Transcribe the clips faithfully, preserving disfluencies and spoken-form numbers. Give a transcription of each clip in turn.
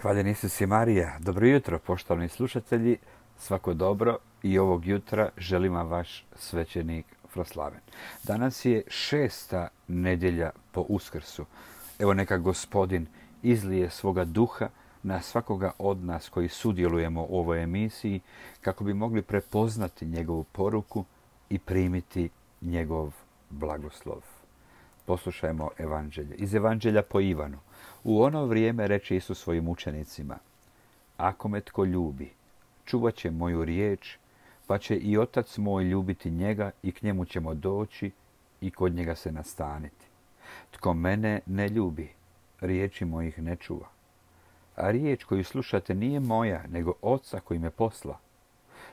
Hvaljen Isus i Marija. Dobro jutro, poštovani slušatelji. Svako dobro i ovog jutra želim vam vaš svećenik Froslaven. Danas je šesta nedjelja po Uskrsu. Evo neka Gospodin izlije svoga duha na svakoga od nas koji sudjelujemo u ovoj emisiji kako bi mogli prepoznati njegovu poruku i primiti njegov blagoslov. Poslušajmo evanđelje. Iz evanđelja po Ivanu. U ono vrijeme reče Isus svojim učenicima: Ako me tko ljubi, čuvat će moju riječ, pa će i Otac moj ljubiti njega i k njemu ćemo doći i kod njega se nastaniti. Tko mene ne ljubi, riječi mojih ne čuva. A riječ koju slušate nije moja, nego Oca koji me posla.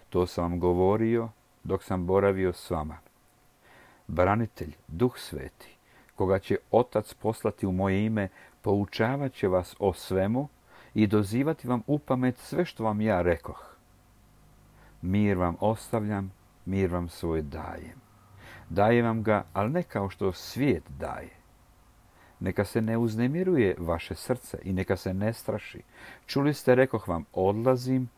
To sam vam govorio dok sam boravio s vama. Branitelj, Duh Sveti, koga će Otac poslati u moje ime, poučavat će vas o svemu i dozivati vam upamet sve što vam ja rekoh. Mir vam ostavljam, mir vam svoj dajem. Dajem vam ga, ali ne kao što svijet daje. Neka se ne uznemiruje vaše srce i neka se ne straši. Čuli ste, rekoh vam, odlazim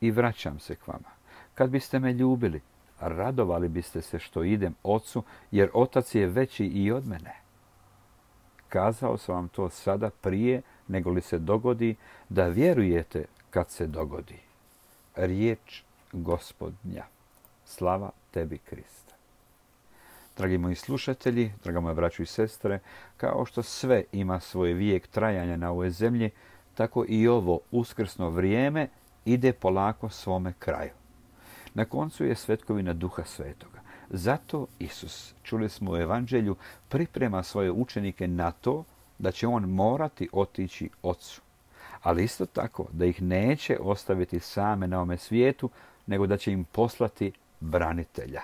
i vraćam se k vama. Kad biste me ljubili, radovali biste se što idem Ocu, jer Otac je veći i od mene. Kazao sam vam to sada prije nego li se dogodi, da vjerujete kad se dogodi. Riječ Gospodnja. Slava tebi, Kriste. Dragi moji slušatelji, draga moja braćo i sestre, kao što sve ima svoj vijek trajanja na ovoj zemlji, tako i ovo uskrsno vrijeme ide polako svome kraju. Na koncu je svetkovina Duha Svetoga. Zato Isus, čuli smo u evanđelju, priprema svoje učenike na to da će on morati otići Ocu. Ali isto tako da ih neće ostaviti same na ovome svijetu, nego da će im poslati branitelja.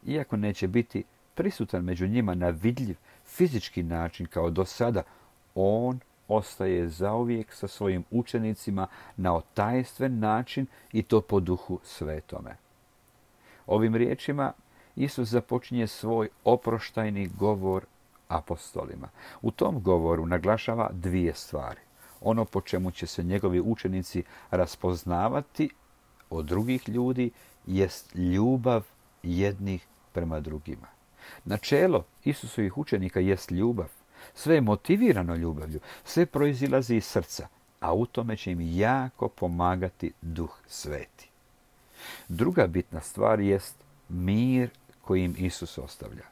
Iako neće biti prisutan među njima na vidljiv fizički način kao do sada, on ostaje zauvijek sa svojim učenicima na otajstven način i to po Duhu Svetome. Ovim riječima Isus započinje svoj oproštajni govor apostolima. U tom govoru naglašava dvije stvari. Ono po čemu će se njegovi učenici raspoznavati od drugih ljudi jest ljubav jednih prema drugima. Načelo Isusovih učenika jest ljubav. Sve je motivirano ljubavlju, sve proizilazi iz srca, a u tome će im jako pomagati Duh Sveti. Druga bitna stvar jest mir koji im Isus ostavlja.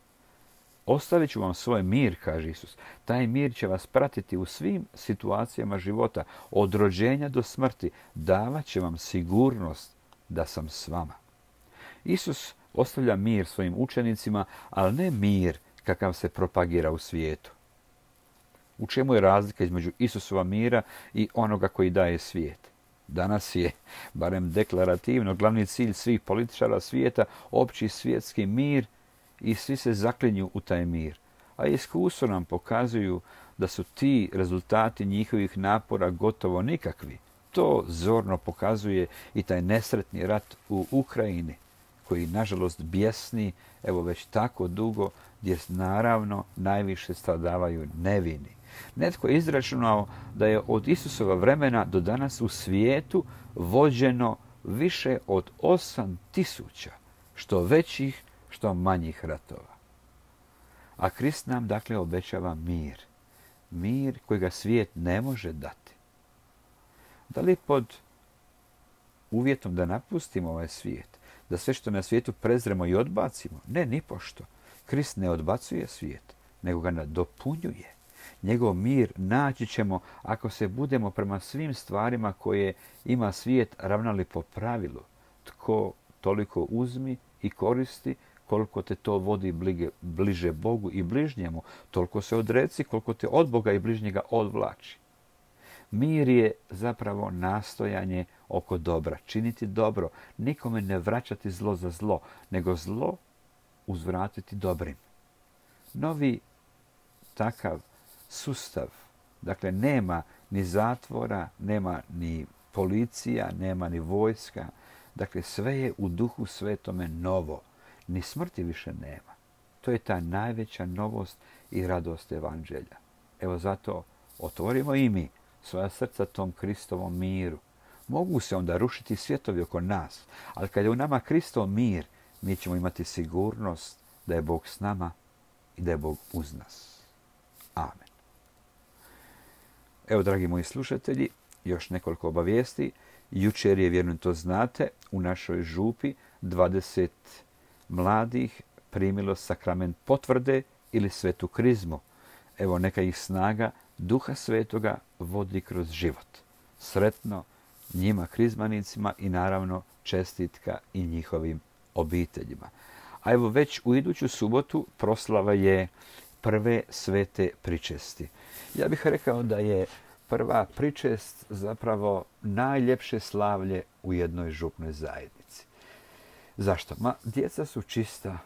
Ostavit ću vam svoj mir, kaže Isus. Taj mir će vas pratiti u svim situacijama života, od rođenja do smrti. Davat će vam sigurnost da sam s vama. Isus ostavlja mir svojim učenicima, ali ne mir kakav se propagira u svijetu. U čemu je razlika između Isusova mira i onoga koji daje svijet? Danas je, barem deklarativno, glavni cilj svih političara svijeta opći svjetski mir i svi se zaklinju u taj mir. A iskustvo nam pokazuju da su ti rezultati njihovih napora gotovo nikakvi. To zorno pokazuje i taj nesretni rat u Ukrajini, koji nažalost bjesni evo već tako dugo, gdje naravno najviše stradavaju nevini. Netko je izračunao da je od Isusova vremena do danas u svijetu vođeno više od osam tisuća, što većih, što manjih ratova. A Krist nam dakle obećava mir. Mir kojega svijet ne može dati. Da li pod uvjetom da napustimo ovaj svijet, da sve što na svijetu prezremo i odbacimo? Ne, nipošto. Krist ne odbacuje svijet, nego ga nadopunjuje. Njegov mir naći ćemo ako se budemo prema svim stvarima koje ima svijet ravnali po pravilu. Tko toliko uzmi i koristi, koliko te to vodi blige, bliže Bogu i bližnjemu, toliko se odreci koliko te od Boga i bližnjega odvlači. Mir je zapravo nastojanje oko dobra, činiti dobro, nikome ne vraćati zlo za zlo, nego zlo uzvratiti dobrim. Novi takav sustav, dakle nema ni zatvora, nema ni policija, nema ni vojska, dakle sve je u Duhu Svetome novo, ni smrti više nema. To je ta najveća novost i radost evanđelja. Evo zato otvorimo i mi svoja srca tom Kristovom miru. Mogu se onda rušiti svjetovi oko nas, ali kad je u nama Kristov mir, mi ćemo imati sigurnost da je Bog s nama i da je Bog uz nas. Amen. Evo, dragi moji slušatelji, još nekoliko obavijesti. Jučer je, vjerujem to znate, u našoj župi dvadeset mladih primilo sakrament potvrde ili svetu krizmu. Evo, neka ih snaga Duha Svetoga vodi kroz život. Sretno njima krizmanicima i naravno čestitka i njihovim obiteljima. A evo, već u iduću subotu proslava je prve svete pričesti. Ja bih rekao da je prva pričest zapravo najljepše slavlje u jednoj župnoj zajednici. Zašto? Ma, djeca su čista,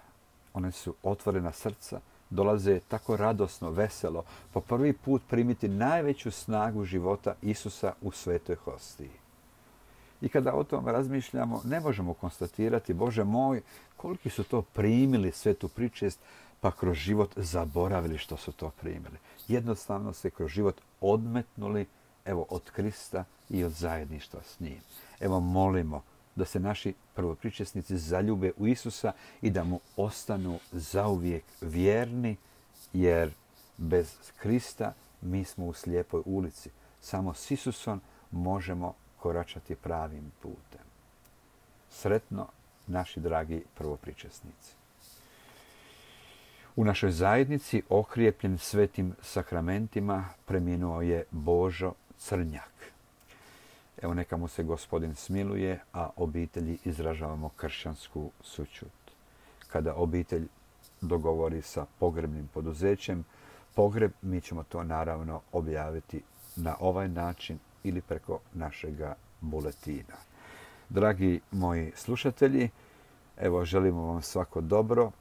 one su otvorena srca, dolaze tako radosno, veselo, po prvi put primiti najveću snagu života Isusa u svetoj hostiji. I kada o tom razmišljamo, ne možemo konstatirati, Bože moj, koliki su to primili svetu pričest, pa kroz život zaboravili što su to primili. Jednostavno se kroz život odmetnuli, evo, od Krista i od zajedništva s njim. Evo, molimo da se naši prvopričesnici zaljube u Isusa i da mu ostanu zauvijek vjerni, jer bez Krista mi smo u slijepoj ulici. Samo s Isusom možemo koračati pravim putem. Sretno, naši dragi prvopričesnici. U našoj zajednici, okrijepljen svetim sakramentima, preminuo je Božo Crnjak. Evo, neka mu se Gospodin smiluje, a obitelji izražavamo kršćansku sućut. Kada obitelj dogovori sa pogrebnim poduzećem pogreb, mi ćemo to naravno objaviti na ovaj način ili preko našega buletina. Dragi moji slušatelji, evo, želimo vam svako dobro.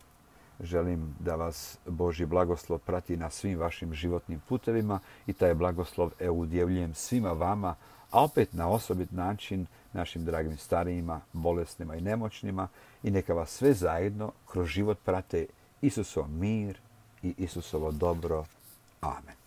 Želim da vas Božji blagoslov prati na svim vašim životnim putevima i taj blagoslov evo udjeljujem svima vama, a opet na osobit način našim dragim starijima, bolesnima i nemoćnima, i neka vas sve zajedno kroz život prate Isusov mir i Isusovo dobro. Amen.